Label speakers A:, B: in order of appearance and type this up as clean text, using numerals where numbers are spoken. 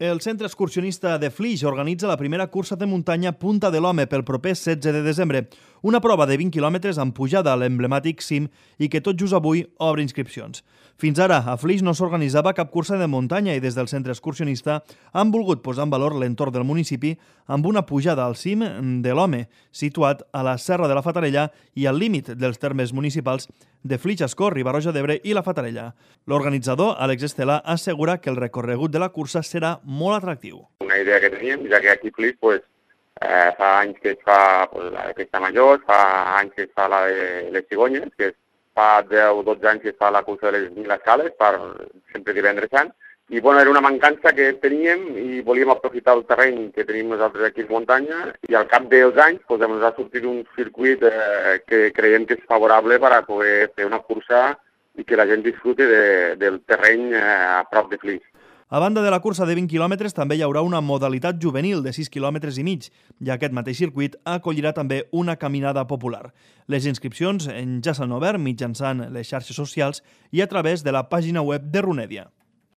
A: El centre excursionista de Flix organitza la primera cursa de muntanya Punta de l'Home pel proper 16 de desembre, una prova de 20 quilòmetres amb pujada a l'emblemàtic cim i que tot just avui obre inscripcions. Fins ara, a Flix no s'organitzava cap cursa de muntanya i des del centre excursionista han volgut posar en valor l'entorn del municipi amb una pujada al cim de l'Home, situat a la Serra de la Fatarella i al límit dels termes municipals de Flix, Ascó, Riba-roja d'Ebre i la Fatarella. L'organitzador, Àlex Estelà, assegura que el recorregut de la cursa serà molt atractiu.
B: Una idea que teníem, ja que aquí a Flix fa anys que es fa la de Festa Major, fa anys que es fa la de les cigonyes, que fa 10 o 12 anys que es fa la cursa de les 1000 escales, sempre divendres sant. I era una mancança que teníem i volíem aprofitar el terreny que tenim nosaltres aquí a muntanya i al cap dels anys ens ha sortit un circuit que creiem que és favorable per a poder fer una cursa i que la gent disfruti del terreny a prop de Flix.
A: A banda de la cursa de 20 quilòmetres, també hi haurà una modalitat juvenil de 6 quilòmetres i mig, i aquest mateix circuit acollirà també una caminada popular. Les inscripcions ja s'han obert mitjançant les xarxes socials i a través de la pàgina web de Runèdia.